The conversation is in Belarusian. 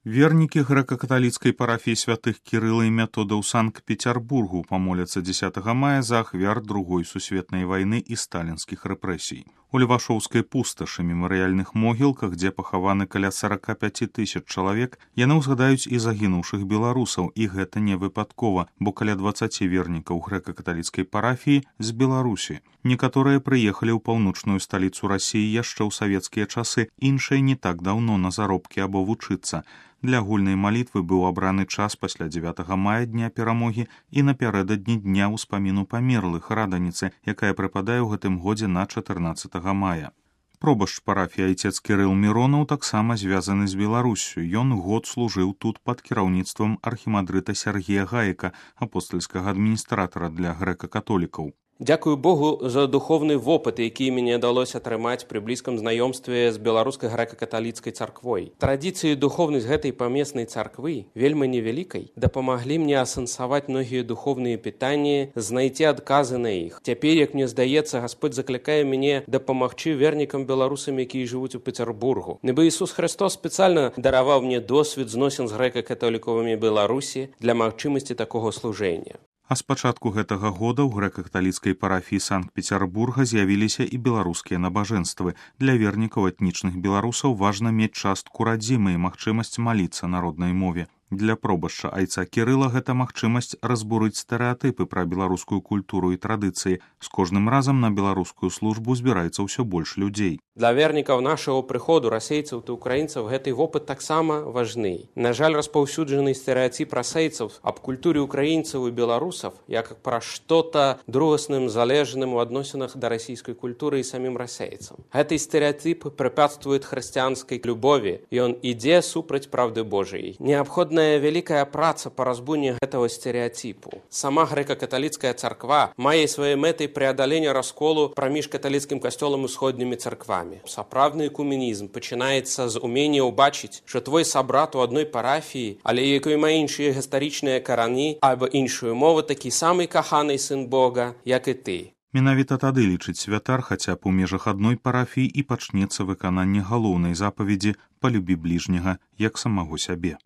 Вернікі грэка-каталіцкай парафіі святых Кірыла і Метода ў Санкт-Петербургу памоляцца 10 мая за ахвяр Другой сусветнай вайны і сталінскіх рэпрэсій. У Левашоўскай пусташы мемарыяльных могілках, дзе пахаваны каля 45 000 чалавек, яны ўзгадаюць і загінуўшых беларусаў, і гэта не выпадкова, бо каля 20 вернікаў грэка-каталіцкай парафіі з Беларусі. Некаторыя прыехалі ў паўночную сталіцу Расіі яшчэ ў савецкія часы, іншыя не так даўно на заробкі або вучыцца. Для агульнай малітвы быў абраны час пасля 9 мая дня перамогі і напярэдадні дня ўспаміну памерлых раданіцы, якая прыпадае ў гэтым годзе на 14 мая. Пробашч парафіі айцец Кірыл Міронаў таксама звязаны з Беларуссю. Ён год служыў тут пад кіраўніцтвам архімандрыта Сергія Гаіка, апостальскага адміністратара для грэка-католікаў. Дзякую Богу за духовны вопыт, які мне далося атрымаць пры блізкім знаёмстве з беларускай грэка-каталіцкай царквой. Традыцыі і духовнасць гэтай памеснай царквы, вельмі невялікай, дапамаглі мне асэнсаваць многія духовныя пытанні, знайти адказы на іх. Цяпер, як мне здаецца, Гасподь заклікае мяне дапамагчы вернікам беларусам, якія жывуць у Петербургу. Нібы Ісус Христос спецыяльна дараваў мне досвед зносін з грэка-католікавымі Беларусі для магчымасці такога служэння. А з пачатку гэтага года ў грэка-каталіцкай парафіі Санкт-Петербурга з'явіліся і беларускія набажэнствы. Для вернікаў этнічных беларусаў важна мець частку радзімы і магчымасць маліцца на роднай мове. Для пробашча айца Кірыла гэта магчымасць разбурыць стэрэатыпы пра беларускую культуру і традыцыі. З кожным разам на беларускую службу збіраецца ўсё больш людзей. Для вернікаў нашага прыходу расейцаў і украінцаў гэты вопыт таксама важны. На жаль, распаўсюджаны стэрэатып расейцаў аб культуры украінцаў і беларусаў як пра што-то другасным, залежным у адносінах да расійскай культуры і самім расейцам. Гэты стэрэатып препятствуе хрысціянскай любові, і ён ідзе супраць правды Божай. Неабходна вялікая праца па разбуне гэтага стэрэатипу. Сама грэка-каталіцкая царква мае сваёй мэтай преадалення расколу праміж каталіцкім касцёлам і усходнімі царквамі. Сапраўдны экуменізм пачынаецца з умення ўбачыць, што твой сабрат у адной парафіі, але якой мае іншыя гістарычныя карані або іншую мову, такі самы каханы сын Бога, як і ты. Менавіта тады, лічыць святар, хаця б у межах адной парафіі і пачнецца выкананне галоўнай запаведзі «Палюбі бліжняга, як самого сябе».